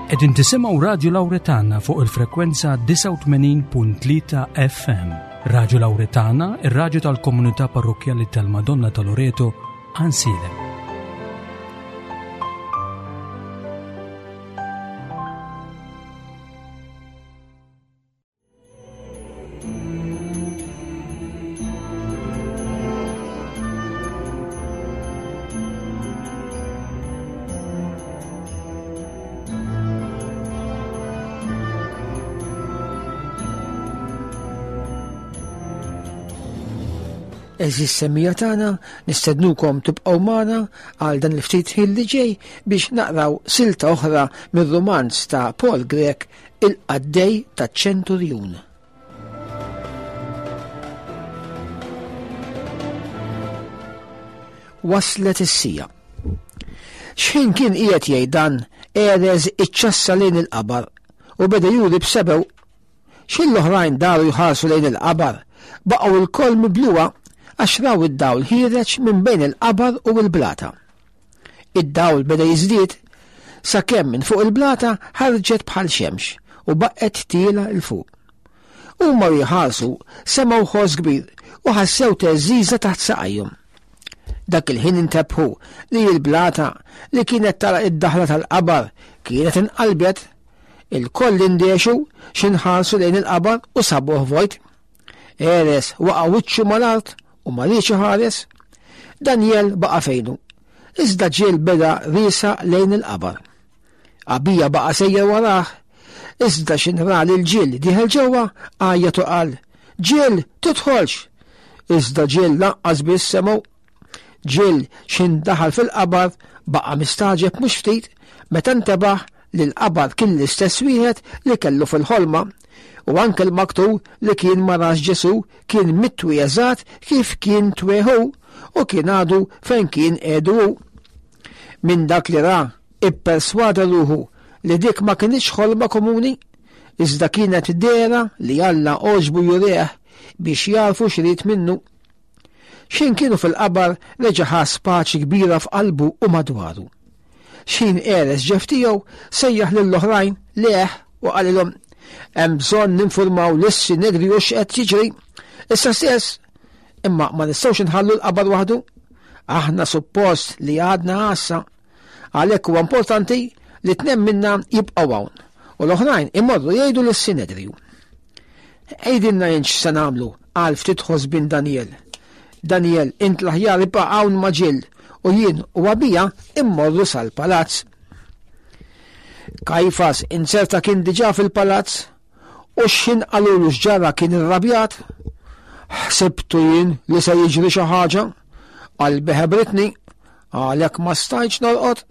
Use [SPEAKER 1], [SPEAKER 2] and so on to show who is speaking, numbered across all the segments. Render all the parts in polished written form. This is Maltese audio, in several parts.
[SPEAKER 1] Qegħdin tisimgħu Radju Lawretana fuq il-frekwenza 89.3 FM. Radju Lawretana, ir-radju tal-komunità parrokkjali tal-Madonna ta' Loreto, Ansilem.
[SPEAKER 2] Eżis semmija tagħna nistednukom tibqgħu magħna għal dan il-ftit ħin li ġej biex naqraw silta oħra mir-rumanz ta' Paul Grech Il-qaddej taċ-ċenturjun. Waslet is-sija. X'ħin kien qiegħed jgħid dan, Erez iċċassa lejn il-qabar u beda juri b'sebew. X'ħin l-oħrajn daru jħarsu lejn il-qabar, baqgħu lkoll mibluha għax raw id-dawl ħiereġ minn bejn il-qabar u l-blata. Id-dawl beda jiżdied sakemm minn fuq il-blata ħarġet bħal xemx u baqgħet tiela 'l fuq. Huma u jħarsu semgħu ħoss kbir u ħassew theżżiża taħt saqajhom. Dak il-ħin intebħu li l-blata li kienet tara id-daħla tal-qabar kienet inqalbet. Il-koll indexu x'inħarsu lejn il-qabar u sabuh vojt. Eres waqa' wiċċu mal-art u ma riedx iħares. Daniel baqa' fejnu. Iżda ġiel beda riesa lejn il-qabar. Abija baqa' sejjer warah. Iżda x'inra lil ġiel dieħel ġewwa għajjat u qal, Ġiel, tidħolx! Iżda ġiel lanqas biss semgħu. Ġiel x'in daħal fil-qabar baqa' mistagħġeb mhux ftit meta ntebaħ li l-qabar kien l-istess wieħed li kellu fil-ħolma u anke l-maktur li kien ma rax Ġesù kien mitwi eżatt kif kien tweħu u kien għadu fejn kien qiegħdu hu. Minn dak li ra, ipperswada ruħu li dik ma kinitx ħolma komuni, iżda kienet dehra li Alla għoġbu jurih biex jagħrfu x'ried minnu. X'ħin kienu fil-qabar reġa' ħass paċi kbira f'qalbu u madwaru. X'ħin għeres ġef tiegħu sejjaħ lill-oħrajn lejh u qalilhom, Hemm bżonn ninfurmaw lis-Sinedriju x'qed jiġri. Issa stess, imma ma nistgħux inħallu l-qabar waħdu. Aħna suppost li għadna għassa. Għalhekk huwa importanti li tnejn minna jibqgħu hawn u l-oħrajn imorru jgħidu lis-Sinedriju. Għidilna int x'se nagħmlu, qal ftit ħosbien Daniel. Daniel, int l-aħjar ibqa' hawn ma' Jill u jien u Abija immorru sal-palazz. Kajfas inzerta kien diġà fil-palazz u x'ħin qalulu x'ġara kien irrabjat. Ħsibtu jien li se jiġri xi ħaġa, qalbi ħebritni, għalhekk ma stajtx norqod.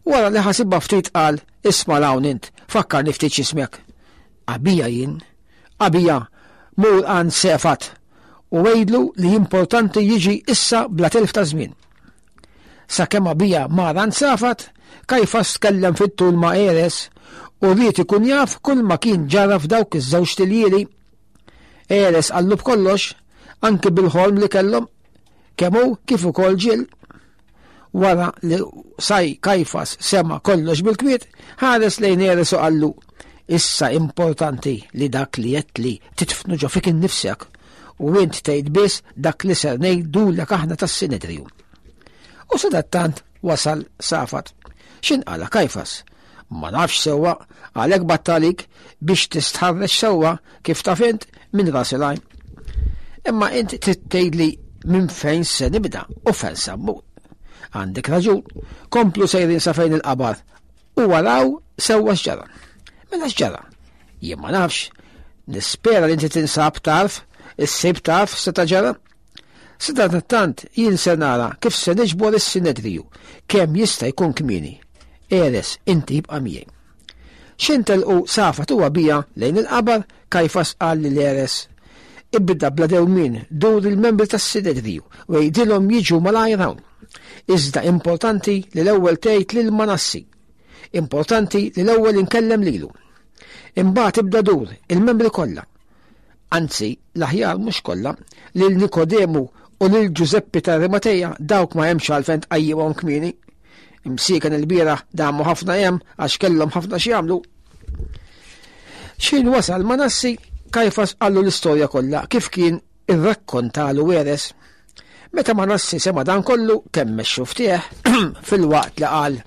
[SPEAKER 2] Wara li ħasibha ftit qal, isma' 'l hawn int, fakkarni ftit x'ismek. Abija jien. Abija, mur għand Sefat u għidlu li importanti jiġi issa bla telf ta' żmien. Sakemm Abija mar għand Safat, Kajfas tkellem fit-tul ma' Eres u ried ikun jaf kull ma kien ġara f'dawk iż-żewġt iljieli. Eres qallu b'kollox, anki bil-ħolm li kellhom, kemm hu kif ukoll Ġill. Wara li Saj Kajfas sema' kollox bil-kwiet, ħares lejn Eres u qallu, Issa importanti li dak li għedtli titfnu ġo fik innifsek u int tgħid biss dak li ser ngħidulek aħna tas-Sinedriju. U sadattant wasal Safat. X'inqala Kajfas? Ma nafx sewwa, għalhekk bgħatt għalik biex tistħarreġ sewwa kif taf int minn ras il-għajn. Imma int trid tgħidli minn fejn se nibda u fejn se mmur. Għandek raġun, komplu sejrin sa fejn il-qabar u waraw sewwa x'ġara. Mela x'ġara? Jien ma nafx. Nispera li inti tinsab tarf, issib taf seta' ġara. Sadanittant jien se nara kif se niġbor is-Sinedriju kemm jista' jkun kmieni. Eres, inti ibqa' miegħi. X'ħin telqu Safat u Abija lejn il-qabar, Kajfas qal lil Eres, Ibda bla dewmien dur il-membri tas-Sinedriju u għidilhom jiġu malajr hawn. Iżda importanti li l-ewwel tgħid lil Manassi. Importanti li l-ewwel inkellem lilu. Imbagħad ibda dur il-membri kollha. Anzi, l-aħjar mhux kollha, lil Nikodemu u lil Ġużeppi ta' Arimateja dawk ma hemmx għalfejn tqajjimhom kmieni. Imsieken il-bieraħ damu ħafna hemm għax kellhom ħafna x'jagħmlu. X'ħin wasal Manassi, Kajfas qallu l-istorja kollha kif kien irrakkontalu Eres. Meta Manassi sema' dan kollu kemm xuftih filwaqt li qal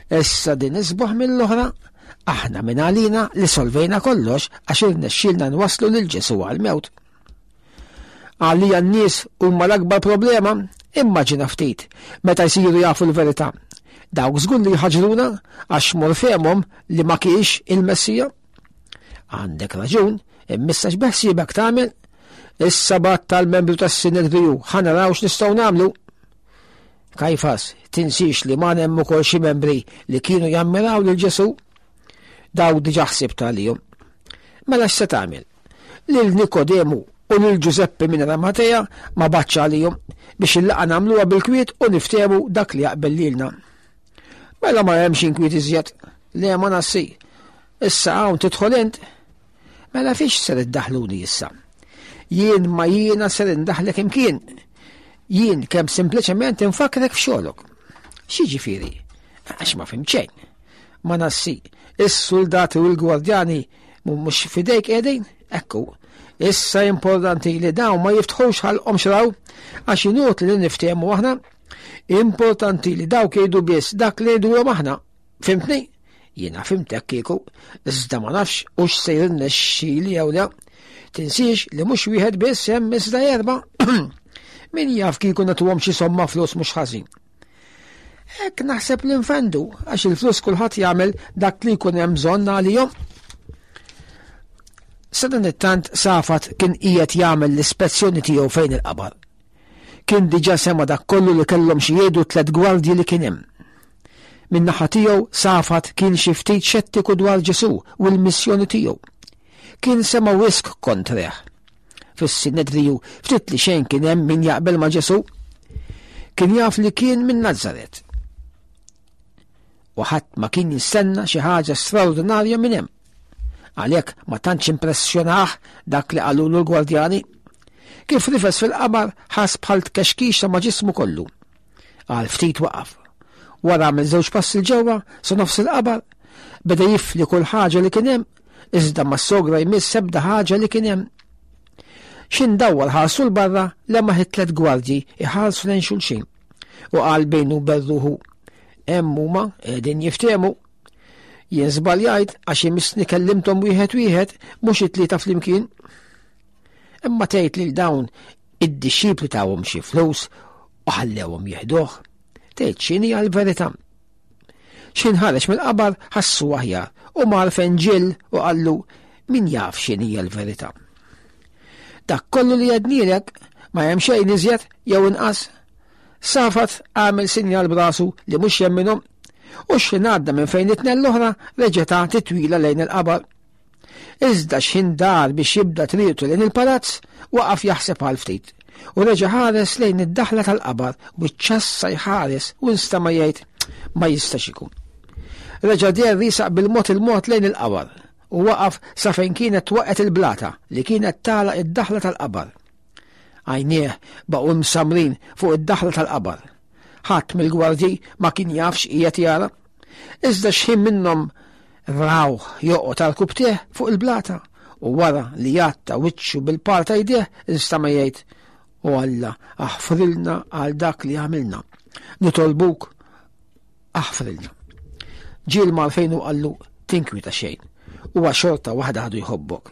[SPEAKER 2] Issa din isbaħ mill-oħra, aħna minn għalina li solvejna kollox għax irnexxielna nwasslu lil Ġesù għall-mewt. Għalija n-nies huma l-akbar problema, immaġina ftit meta jsiru jafu l-verità. Dawk żgur li jħaġruna għax mor fehmhom li ma kienx il-Messija. Għandek raġun, immissa x'beħsiebek tagħmel? Issa bat tal-membru tas-Sinedriju ħa naraw x'nistgħu nagħmlu. Kajfas, tinsiex li ma hemm ukoll xi membri li kienu jammiraw lil Ġesu. Dawk diġà ħsibt għalihom. Mela x'se tagħmel? Lil Nikodemu u lil Ġużeppi minn Ramatea ma batx għalihom biex il-laqgħa nagħmluha bil-kwiet u niftehmu dak li jaqbel lilna. Mela ma hemmx inkwiet iżjed. Le ma nassi. Issa hawn tidħol int. Mela fiex ser iddaħluni issa? Jien ma jiena ser indaħlek imkien. Jien kemm sempliċement infakrek f'xogħlok. X'jiġifieri? Għax ma fhimt xejn. Ma nassi, is-suldati u l-gwardjani mhux fidejk qegħdin? Ekku, issa importanti li dawn ma jiftħux ħalqhom xraw għax inutli li niftehmu aħna. Importanti li dawk jgħidu biss dak li jgħidulhom aħna. Fimtni? Jiena fimtek kieku, iżda ma nafx hux se jirnexxili jew le. Tinsiex li mhux wieħed biss hemm iżda erba'. Min jaf kieku nagħtuhom xi somma flus mhux ħażin. Hekk naħseb li nfendu għax il-flus kulħadd jagħmel dak li jkun hemm bżonn għalihom. Sadanittant Safat kien qiegħed jagħmel l-ispezzjoni tiegħu fejn il-qabar. Kien diġà sema' dak kollu li kellhom xi jgħidu t-tliet gwardji li kien hemm. Min-naħa tiegħu Safat kien xi ftit xettiku dwar Ġesù u l-missjoni tiegħu. Kien sema' wisq kontrih. Fis-Sinedriju ftit li xejn kien hemm min jaqbel ma' Ġesù. Kien jaf li kien minn Nazaret. U ħadd ma kien jistenna xi ħaġa straordinarja minn hemm. Għalhekk ma tantx impressjonah dak li qalulu l-gwardjani. Kif rifes fil-qabar ħass bħal tkexkixa ma' ġismu kollu. Għal ftit waqaf. Wara għamel żewġ passi 'l ġewwa sa nofs il-qabar, beda jifli kull ħaġa li kien hemm, iżda ma sogra jmiss ebda ħaġa li kien hemm. X'in dawwar ħarsu 'l barra lemaħ it-tliet gwardji iħarsu lejn xulxin u qal bejnu berruħu hemm huma qegħdin jiftehmu. Jien żbaljajt għax imissni kellimthom wieħed wieħed mhux it-tlieta flimkien. Imma tgħid lil dawn id-dixxipli tawhom xi flus u ħallewhom jieħduh. Tgħid x'inhi għall-verità. X'in ħareġ mill-qabar ħassu aħjar u mar fejn ġill u qallu min jaf x'inhi l-verità. Dak kollu li għednielek ma hemm xejn iżjed jew inqas. Safat għamel sinjal brasu li mhux jemminhom u x'ħin għadda minn fejn it-tnejn l-oħra reġeta titwila lejn il-qabar. Iżda x'ħin dar biex jibda triqtu lejn il-palazz, waqaf jaħseb għal ftit u reġa' ħares lejn id-daħla tal-qabar u ċċassa jħares u nstama' jgħid ma jistax ikun. Reġa' deher riesaq bil-mod il-mod lejn il-qabar u waqaf sa fejn kienet waqgħet il-blata li kienet tagħlaq id-daħla tal-qabar. Għajnieh baqgħu msammrin fuq id-daħla tal-qabar. Ħadd mill-gwardji ma kien jaf x'qiegħed jara. Iżda x'ħin minnhom rawh joqgħod għal kubtih fuq il-blata u wara li jatta wiċċu bil-par ta' jdeh instama' jgħid O Alla, aħfrilna għal dak li għamilna. Nitolbuk aħfrilna. Ġiel mar fejn u qallu tinkwita xejn. Huwa xorta waħda għadu jħobbok.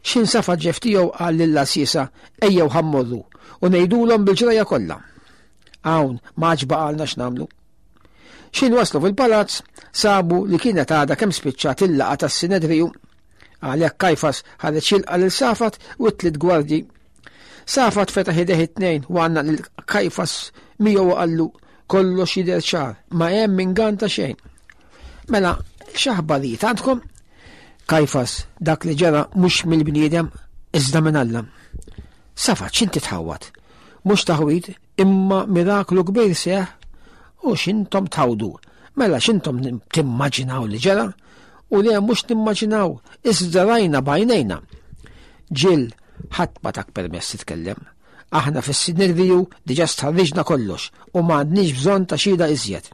[SPEAKER 2] X'in safa ġef tiegħu qal lill-għassiesa ejjew ħammorru u ngħidulhom bil-ġrajja kollha. Hawn ma għadx baqalna x'nagħmlu. X'in waslu fil-palazz, sabu li kienet għadha kemm spiċċat il-laqgħa tas-Sinedriju. Għalhekk Kajfas ħareġ jilqa' lil Safat u t-tliet gwardji. Safat fetaħ idejh it-tnejn u għannaq lil Kajfas miegħu u qallu kollox jidher ċar, ma hemm ingann ta' xejn. Mela, x'aħbarijiet għandkom? Kajfas, dak li ġara mhux mill-bniedem, iżda minn Alla. Safat, x'inti tħawwad? Mhux taħwid, Imma miraklu kbir seħ u x'intom tħawdu. Mela x'intom timmaġinaw li ġara? U le mhux nimmaġinaw, iżda rajna b'għajnejna. Ġil, ħadd ma tak permess titkellem. Aħna fis-Sinedriju diġà stħarriġna kollox u ma għandniex bżonn ta' xhieda iżjed.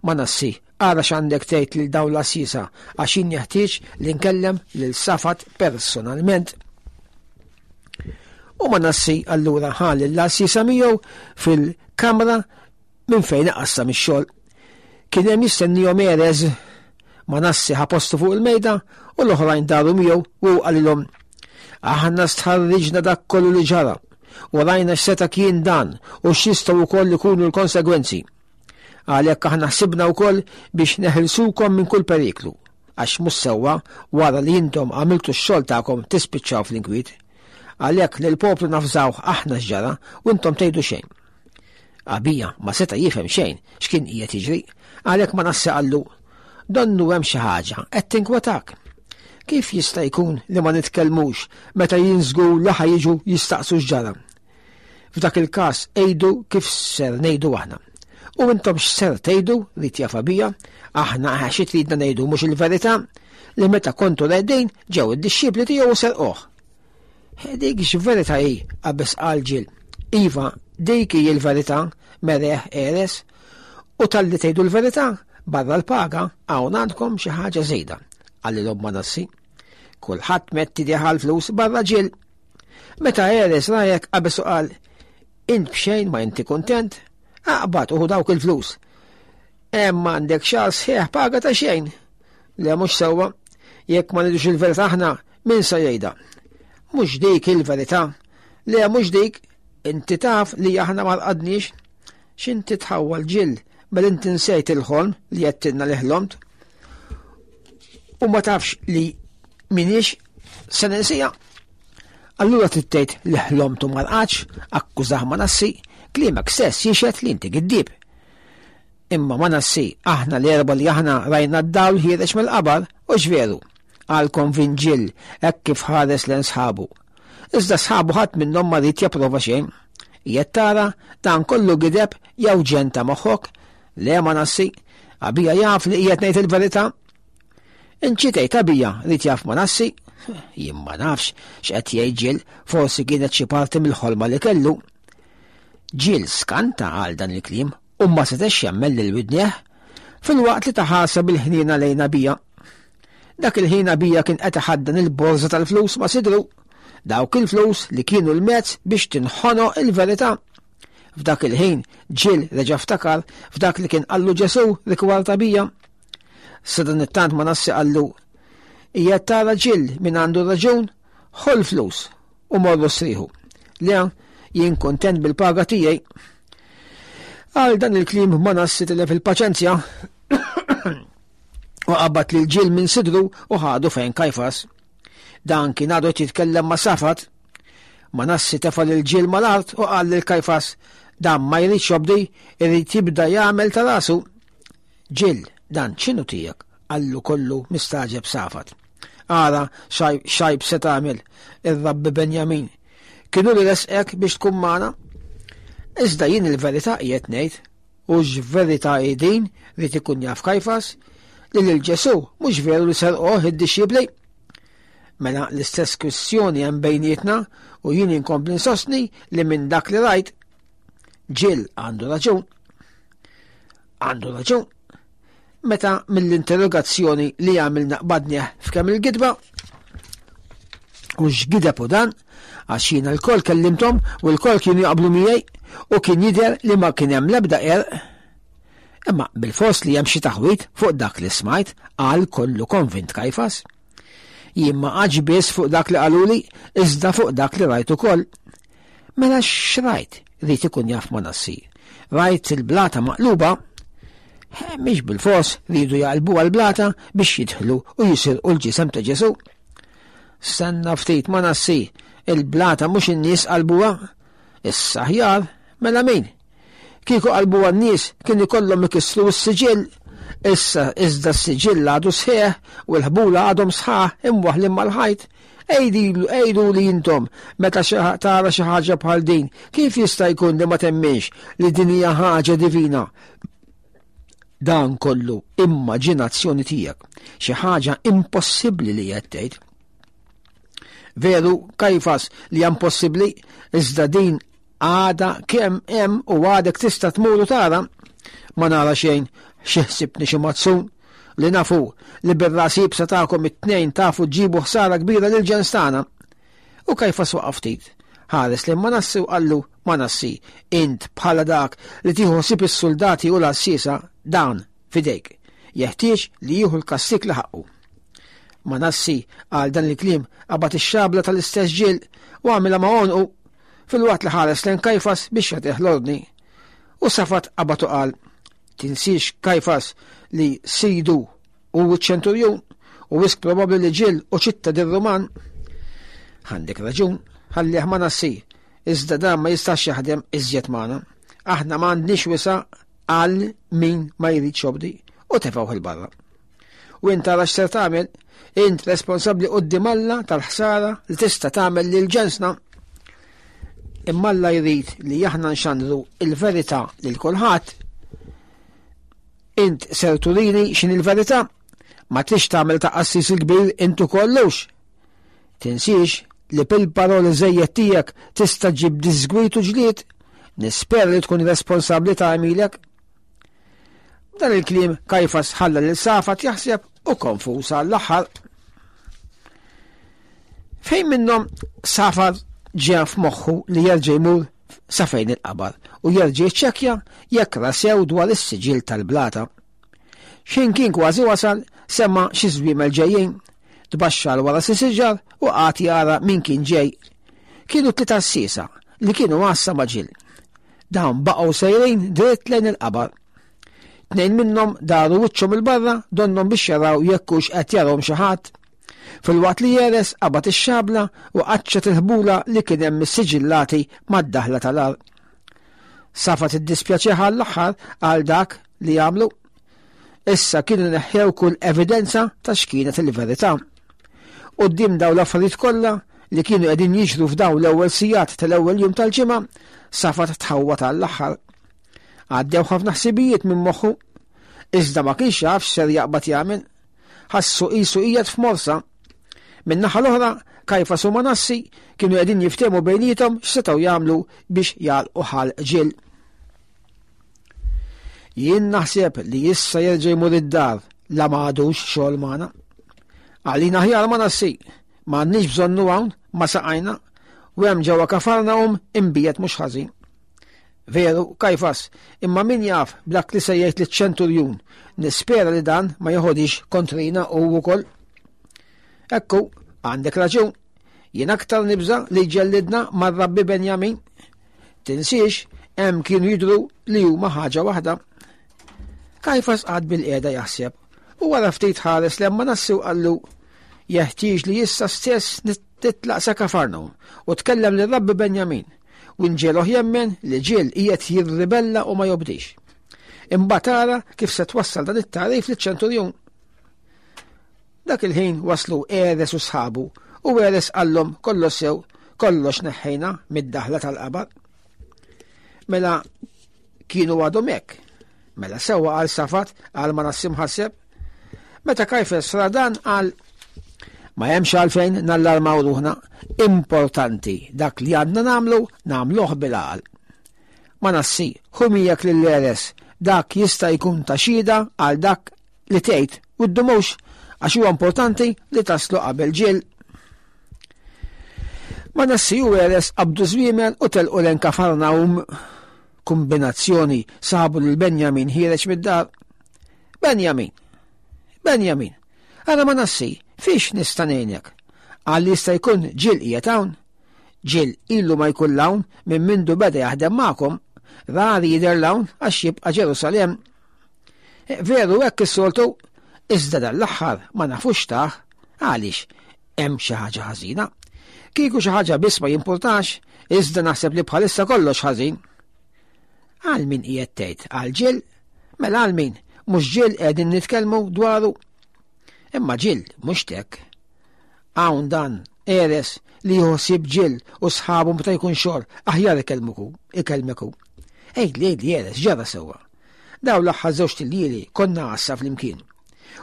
[SPEAKER 2] Manassi, ara x'għandek tgħid lil dawn l-għassiesa għax jien jeħtieġ li nkellem lil Safat personalment. U Manassi allura ħa lill-għassiesa miegħu fil-kamra minn fejn iqassam ix-xogħol. Kien hemm jistennihom Erez. Manassi ħa postu fuq il-mejda u l-oħrajn daru miegħu u qalilhom Aħna stħarriġna dak kollu li ġara u rajna x'seta' kien dan u x'jistgħu wkoll ikunu l-konsegwenzi. Għalhekk aħna ħsibna wkoll biex neħilsukom minn kull periklu, għax mhux sewwa wara li intom għamiltu x-xogħol tagħkom tispiċċaw fl-inkwiet. Għalhekk lill-poplu nafżawh aħna x'ġara u intom tgħidu xejn. Abija ma seta' jifhem xejn x'kien qiegħed jiġri, għalhekk Manasse qallu, Donnu hemm xi ħaġa qed tinkwetak. Kif jista' jkun li ma nitkellmux meta jien żgur li ħa jiġu jistaqsu x'ġara? F'dak il-każ għidu kif ser ngħidu aħna. U intom x'ser tgħidu li jaf Abija? Aħna xi tridna ngħidu mhux il-verità li meta kontu reqdin ġew id-dixxipli tiegħu u serquh. Dik x'verità hi, qabeż qal Ġil. Iva, dik hi l-verità, mereħ Eres. U talli tgħidu l-verità, barra l-paga, hawn għandkom xi ħaġa żejda, qalilhom Manassi. Kulħadd mett idejh għall-flus barra Ġil. Meta Eres rajek qabeż u qal, int b'xejn ma inti kuntent, aqbad u dawk il-flus. Hemm għandek xahar sħiħ paga ta' xejn. Le mhux sewwa, jekk ma ngħidux il-verità aħna, min se jgħidha? Mhux dik il-verità. Le mhux dik, inti taf li aħna ma rqadniex. X'inti tħawwal ġill, mela inti nsejt il-ħolm li għedtilna li ħlomt. U ma tafx li minix se ninsija. Allura trid tgħid li ħlomt u ma rqadx, akkużah Manassi, kliemek stess jixhed li inti giddieb. Imma Manassi, aħna l-erba' li aħna rajna d-dawl ħiereġ mill-qabar, hux veru? qal konvint Jill hekk kif ħares lejn sħabu. Iżda sħabu ħadd minnhom ma ried japprova xejn. Qiegħed tara, dan kollu gideb jew ġenn ta' moħħok? Le Manassi, Abija jaf li qiegħed ngħid il-verità. Inċi tgħid Abija ried jaf Manassi? Jien ma nafx x'qed jgħid Jill, forsi kienet xi parti mill-ħolma li kellu. Jill skanta għal dan il-kliem u ma setax jemmen lil widnejh, filwaqt li ta ħarsa bil-ħniena lejn Abija. Dak il-ħin Abija kien qed iħaddan il-borża tal-flus ma' sidru, dawk il-flus li kienu l-mezz biex tinħonoq il-verità. F'dak il-ħin Ġil reġa' ftakar f'dak li kien qallu Ġesù rigward Abija. Sadanittant Manassi qallu, Qiegħed tara Ġil min għandu raġun, ħu l-flus u morru strieħu. Le, jien kuntent bil-paga tiegħi. Għal dan il-kliem Manassi tilef il-paċenzja u qabad lil Ġil minn sidru u ħadu fejn Kajfas. Dan kien għadu qed jitkellem ma' Safat. Manassi tefa' lil Ġil mal-art u qal lil Kajfas, dan ma jridx jobdi, irid jibda jagħmel ta' rasu. Ġil, dan x'inhu tiegħek? qallu kollu mistagħġeb Safat. Ara x'għajb se tagħmel, ir-Rabbi Benjamin. Kien hu li resqek biex tkun magħna? Iżda jien il-verità qiegħed ngħid, u x'verità hi din ried ikun jaf Kajfas, li lil Ġesù mhux veru li serquh id-dixxipli. Mela l-istess kwistjoni hemm bejnietna u jien inkompli nsostni li minn dak li rajt Ġil għandu raġun. Għandu raġun. Meta mill-interrogazzjoni li għamilna qbadnieh f'kemm il-gidba, u x'gideb u dan, għax jiena lkoll kellimthom u lkoll kienu jaqblu miegħi u kien jidher li ma kien hemm l-ebda qerq. Imma bil-fors li hemm xi taħwid fuq dak li smajt, qal kollu konvint Kajfas. Jien ma qgħadx biss fuq dak li qaluli, iżda fuq dak li rajt ukoll. Mela x'rajt? Ried ikun jaf Manassi. Rajt il-blata maqluba? Mhix bil-fors riedu jaqilbuha l-blata biex jidħlu u jisirqu l-ġisem ta' Ġesù. Stenna ftit Manassi, il-blata mhux in-nies qalbuha? Issa aħjar, mela min? Kieku qalbuha n-nies kien ikollhom ikissru s-siġill. Issa iżda s-siġill għadu sħiħ u l-ħbula għadhom sħaħ imwaħħlin mal-ħajt. Għiduli intom, meta tara xi ħaġa bħal din, kif jista' jkun li ma temminx li din hija ħaġa divina? Dan kollu immaġinazzjoni tiegħek, xi ħaġa impossibbli li qed tgħid. Veru, Kajfas, li hija impossibbli, iżda din għada kemm hemm u għadek tista' tmur u tara. Ma nara xejn, Xi ħsibtni xi mazzun? Li nafu li bir-ras iebsa tagħkom it-tnejn tafu ġġibu ħsara kbira lil ġens tagħna. U Kajfas waqaf ftit. Ħares lejn Manassi u qallu, Manassi, int bħala dak li tieħu ħsieb is-suldati u l-għassiesa, dan f'idejk. Jeħtieġ li jieħu l-kastig li ħaqqu. Manassi għal dan il-kliem qabad ix-xabla tal-istess ġiel u għamilha ma' għonqu filwaqt li ħares lejn Kajfas biex jagħtih l-ordni. U Safat qabad u qal, Tinsiex Kajfas li sidu hu ċ-ċenturjun u wisq probabbli li ġiel u ċittadin Ruman. Għandek raġun, ħallih Manassi, iżda dan ma jistax jaħdem iżjed magħna. Aħna ma għandniex wisa għal min ma jridx jobdi u tefgħuh il-barra. U int tara x'ser tagħmel, int responsabbli quddiem Alla tal-ħsara li tista' tagħmel lil ġensna. Imma Alla jrid li aħna nxandru il-verità lil kulħadd. Int ser turini x'in il-verità, ma trix tagħmel ta' qassis il-kbir int ukollux. Tinsiex li bil-paroli żejjed tiegħek tista' ġib disgwit u ġlied, nispera li tkun responsabbli ta' għemilek. Dan il-kliem Kajfas ħalla lil Safat jaħseb u konfuż għall-aħħar. Fejn minnhom Safat ġie f'moħħu li jerġa' jmur sa fejn il-qabar u jerġa' jiċċekkja jekk ra sew dwar is-siġill tal-blata. Xejn kien kważi wasal, sema' xi żwiemel ġejjin. Tbaxxa 'l wara xi siġar u qagħad jara min kien ġej. Kienu tliet għassiesa li kienu għassa ma' Ġill. Dawn baqgħu sejrin dritt lejn il-qabar. Tnejn minnhom daru wiċċhom 'il barra donnhom biex jaraw jekk hux qed jarahom xi ħadd. Filwaqt li Jeres qabad ix-xabla u qaċċat il-ħbula li kien hemm issiġillati mad-daħla tal-għar. Safa tiddispjaċih għall-aħħar għal dak li għamlu. Issa kienu neħħew kull evidenza ta' x'kienet il-verità. Quddiem dawn l-affarijiet kollha li kienu qegħdin jiġru f'dawn l-ewwel sigħat tal-ewwel jum tal-ġimgħa, Safat tħawwad għall-aħħar. Għaddew ħafna ħsibijiet minn moħħu, iżda ma kienx jaf x'ser jaqbad jagħmel. Ħassu qisu qiegħed f'morsa. Min-naħa l-oħra, Kajfas u Manassi kienu qegħdin jiftehmu bejniethom x'setgħu jagħmlu biex jagħlqu ħalq Ġill. Jien naħseb li issa jerġa' jmur id-dar la ma għadux xogħol magħna. Għalina aħjar Manassi, ma għandniex bżonnu hawn ma saqajna u hemm ġewwa Kafarnahum imbiegħed mhux ħażin. Veru, Kajfas, imma min jaf b'dak li se jgħid liċ-ċenturjun, nispera li dan ma jeħodix kontrina hu wkoll. Ekku, għandek raġun, jien aktar nibża li jġellidna mar-Rabbi Benjamin. Tinsiex, hemm kienu jidhru li huma ħaġa waħda. Kajfas qagħad bil-qiegħda jaħseb u wara ftit ħares lejn Manassi u qallu, Jeħtieġ li issa stess titlaq sa Kafarnahum u tkellem lir-Rabbi Benjamin u nġegħluh jemmen li Ġill qiegħed jirribella u ma jobdix. Imbagħad ara kif se twassal dan it-tagħrif liċ-ċenturjun. Dak il-ħin waslu Eres u sħabu u Eres qallhom kollox sew, kollox neħħejna mid-daħla tal-qabar. Mela kienu għadhom hekk. Mela sewwa qal Safat għal Manassi mħasseb. Meta Kajfes ra dan qal ma hemmx għalfejn nallarmaw ruħna, importanti dak li għandna nagħmlu nagħmluh bil-għaqal. Manassi, ħu miegħek lil Eres, dak jista' jkun ta' xhieda għal dak li tgħid u ddumux għax huwa importanti li taslu qabel Ġill. Manassi u Eres qabdu żwiemel u telqu lejn Kafarnahum. Kumbinazzjoni sabu lil Benjamin ħiereġ mid-dar. Benjamin! Benjamin! Ara Manassi, fiex nista' ngħinek? Qal li jista' jkun Ġill qiegħed hawn. Ġill ilu ma jkun 'l hawn minn mindu beda jaħdem magħkom. Rari jidher 'l hawn għax jibqa' Ġerusalemm. Eh, veru hekk is-soltu, iżda dan l-aħħar ma nafux tah għaliex hemm xi ħaġa ħażina. Kieku xi ħaġa biss ma jimpurtax, iżda naħseb li bħalissa kollox ħażin. Għal min qiegħed tgħid? Għal Ġill? Mela għal min? Mhux Ġill qegħdin nitkellmu dwaru. Imma Ġill mhux tek. Hawn dan Eres li jieħu ħsieb Ġill u sħabu meta jkun xogħol, aħjar ikellmuku, ikellmeku. Għidli, għidli Eres, ġara sewwa. Dawn l-aħħar żewġt iljieli konna għassa flimkien.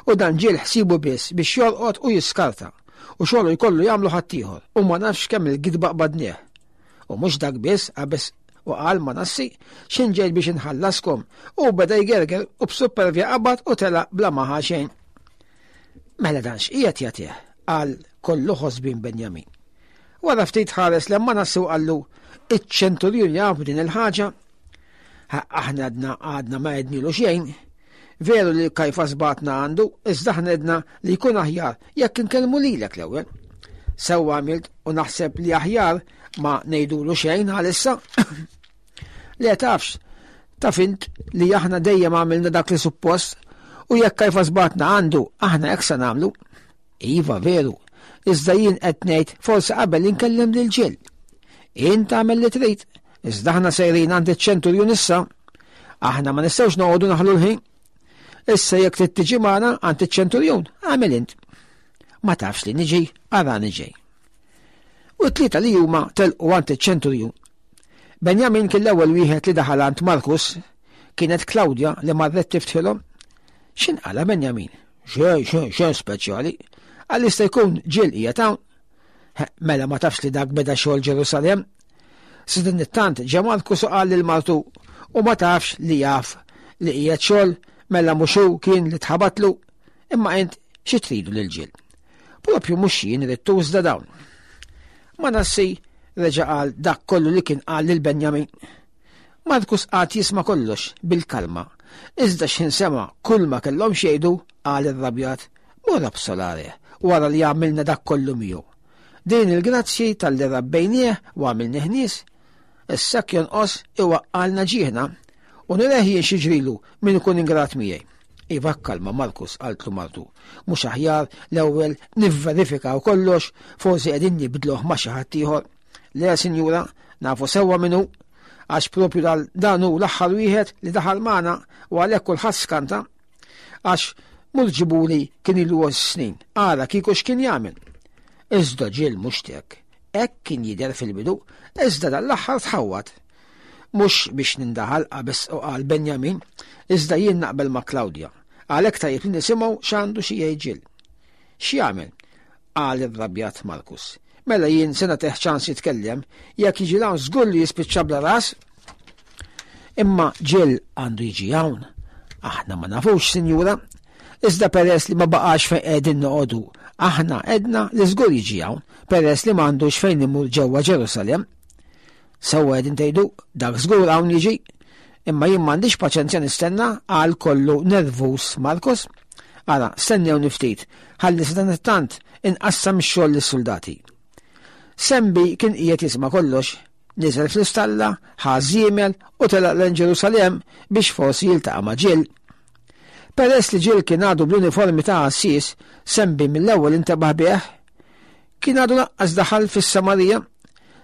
[SPEAKER 2] U dan Ġill ħsiebu biss biex jorqod u jiskarta, u xogħlu jkollu jagħmlu ħaddieħor, u ma nafx kemm il-gidba qbadnieh. U mhux dak biss, qabeż. U qal Manassi, x'in ġejt biex inħallaskom, u beda jgerger u b'suppervja qabad u telaq bla ma ħa xejn. Mela dan x'qiegħed jagħtih, qal kollu ħosbin Benjamin. Wara ftit ħares lejn Manassi u qallu, iċ-ċenturjun jaf din il-ħaġa? Aħna għadna għadna ma għednilu xejn. Veru li Kajfas bagħatna għandu, iżda aħna għedna li jkun aħjar jekk inkellmu lilek l-ewwel. Sewwa għamilt u naħseb li aħjar ma ngħidulu xejn għalissa. Le tafx, taf int li aħna dejjem għamilna dak li suppost u jekk Kajfas bagħatna għandu, aħna hekk se nagħmlu. Iva veru, iżda jien qed ngħid forsi qabel inkellem lil Ġill. Int tagħmel li trid, iżda aħna sejrin għand iċ-ċenturjun issa. Aħna ma nistgħux noqogħdu naħlu l-ħin. Issa jekk trid tiġi magħna għand iċ-ċenturjun, għamel int. Ma tafx li niġi, arani ġej. U t-tlieta li huma telqu għand iċ-ċenturjun. Benjamin kien l-ewwel wieħed li daħal għand Markus, kienet Klawdja li marret tiftħilhom. X'inqala Benjamin? Xejn, xejn, xejn speċjali. Għal jista' jkun ġiel qiegħed hawn. Mela ma tafx li dak beda xogħol Ġerusalemm? Sadanittant ġa Markus u qal lil martu u ma tafx li jaf li qiegħed xogħol mela mhux hu kien li tħabatlu imma int xi tridu lil ġiel. Propju mhux jien ridtu iżda dawn. Manassi reġa' qal dak kollu li kien qal lil Benjamin. Markus qagħad jisma' kollox bil-kalma, iżda x'ħin sema' kulma kellhom x'jgħidu, qal irrabjat, Mur absolare, wara li għamilna dak kollu miegħu. Din il-grazzji talli rabbejnieh u għamilnieh nies, issa hekk jonqos iwaqqalna ġieħna u nireh jien x'jiġrilu min ikun ingrat miegħi. Iva kalma Markus, qaltlu martu, mhux aħjar l-ewwel nivverifikaw kollox, forsi qegħdin nibdluh ma' xi ħadd ieħor. Le, sinjura, nafu sewwa min hu, għax propju dal dan hu l-aħħar wieħed li daħal magħna u għalhekk kulħadd skanta. Għax mur ġibuli kien ilu snin, ara kieku x'kien jagħmel. Iżda ġiel mhux tek. Hekk kien jidher fil-bidu, iżda dal-aħħar tħawwad. Mhux biex nindaħal qabeż u qal Benjamin, iżda jien naqbel ma' Claudia. Għalhekk tajjeb li nisimgħu x'għandu xi jgħid Ġill. X'jagħmel? qal irrabjat Markus. Mela jien se nagħtih ċans jitkellem, jekk jiġi hawn żgur li jispiċċa bla ras. Imma Ġill għandu jiġi hawn. Aħna ma nafux, sinjura. Iżda peress li ma baqax fejn qegħdin noqogħdu, aħna għedna li żgur jiġi hawn, peress li m'għandux fejn imur ġewwa Ġerusalemm. Sewwa qegħdin tgħidu, dak żgur hawn jiġi. Imma jien m'għandix paċenzja nistenna għal kollu nervuż Markus. Ara, stennewni ftit, ħalli sadanittant inqassam ix-xogħol lis-suldati. Sembi kien qiegħed jisma' kollox, niżel fl-istalla, ħa żiemel u telaq lejn Ġerusalemm biex forsi jiltaqa' ma' Ġill. Peress li Ġill kien għadu bl-uniformi ta' għassies, Sembi mill-ewwel intebaħ bih. Kien għadu laqqas daħal fis-Samarija.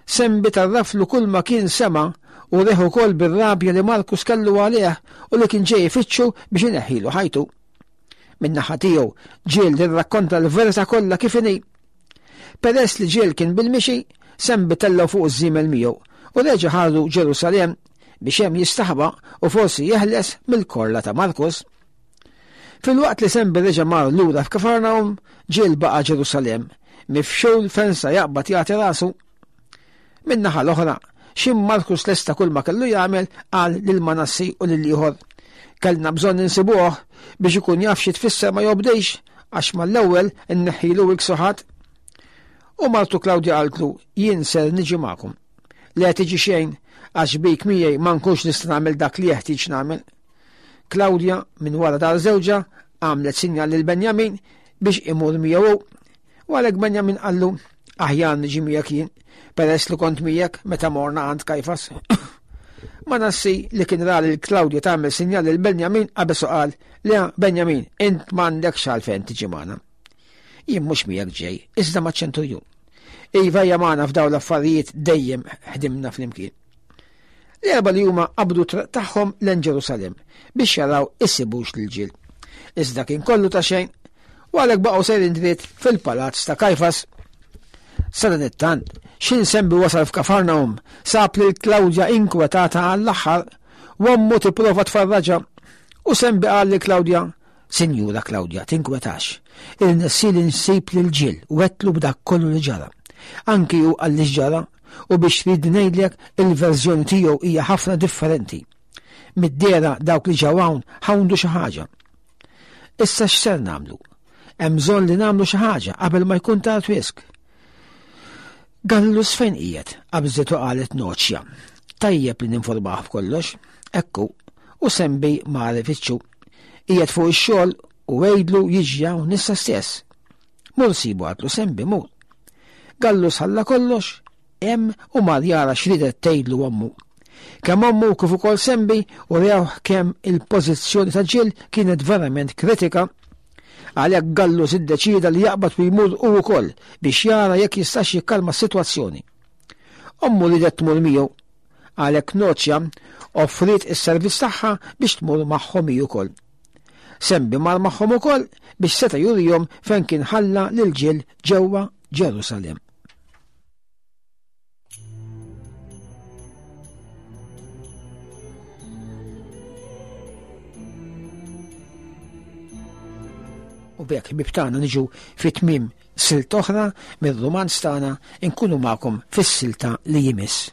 [SPEAKER 2] Sembi tarraflu kull ma kien sema' u reh ukoll bir-rabja li Markus kellu għalih u li kien ġej ifittxu biex ineħħilu ħajtu. Min-naħa tiegħu, Ġiel irrakkonta l-verità kollha kif inhi. Peress li Ġiel kien bil-mixi, Sembi tellgħu fuq iż-żiemel miegħu u reġa' ħadu Ġerusalemm biex hemm jistaħba u forsi jeħles mill-korla ta' Markus. Filwaqt li Sembi reġa' mar lura f'Kafarnahum, Ġiel baqa' Ġerusalemm, mifxul fejn sa jaqbad jagħti rasu. Min-naħa l-oħra, x'ħin Markus lesta kull ma kellu jagħmel, qal lil Manassi u lil ieħor, Kellna bżonn insibuh biex ikun jaf xi tfisser ma jobdix, għax mal-ewwel inneħħilu l-ksuħat. U martu Klawdja qaltlu, Jien ser niġi magħkom. Le tiġi xejn, għax bik miegħi ma nkunx nista' nagħmel dak li jeħtieġ nagħmel. Klawdja, minn wara dar żewġha, għamlet sinjal lil Benjamin biex imur miegħu hu. U għalhekk Benjamin qallu, aħjar niġi miegħek jien, peress li kont miegħek meta morna għand Kajfas. Manassi li kien ra lil Klawdja tagħmel sinjal lil Benjamin qabeż u qal, Le, Benjamin, int m'għandekx għalfejn tiġi magħna. Jien mhux miegħek ġej, iżda maċ-ċenturjun. Iva hija magħna f'dawn l-affarijiet dejjem ħdimna flimkien. L-erba li huma qabdu triq tagħhom lejn Ġerusalemm biex jaraw isibux lil ġil. Iżda kien kollu ta' xejn u għalhekk baqgħu sejrin dritt fil-palazz ta' Kajfas. Sadanittant, x'in sembi wasal f'Kafarnaum, sab lil Klawdja inkwetata għall-aħħar u ommu tipprova tfarraġha. U sembi qal lil Klawdja, Sinjura Klawdja, tinkwetax. Irnexxieli nsib lil Ġil u għedtlu b'dak kollu li ġara. Anki hu qalli x'ġara. U biex trid ngħidlek il-verżjoni tiegħu hija ħafna differenti. Mid-dehra dawk li ġew hawn ħawndu xi ħaġa. Issa x'ser nagħmlu? Hemm bżonn li nagħmlu xi ħaġa qabel ma jkun tard wisq. Gallus fejn qiegħed? qabżet u qalet Noċja. Tajjeb li ninformah b'kollox. Ekku, u Sembi mar ifittxu. Qiegħed fuq ix-xogħol u għidlu jiġi hawn issa stess. Mur sibu għatlu Sembi mur. Gallus ħalla kollox hemm u mar jara x'ridet tgħidlu ommu. Kemm ommu kif ukoll Sembi u rewh kemm il-pożizzjoni ta' Ġill kienet verament kritika. Għalhekk Gallus iddeċieda li jaqbad u jmur hu wkoll biex jara jekk jistax jikkalma s-sitwazzjoni. Ommu ridet tmur miegħu. Għalhekk Noċja offriet is-servizz tagħha biex tmur magħhom hi wkoll. Sembi mar magħhom ukoll biex seta' jurihom fejn kien ħalla lil Ġill ġewwa Ġerusalemm. U b'hekk ħbieb tagħna niġu fi tmiem silt oħra mir-rumanz tagħna inkunu magħkom fis-silta li jmiss.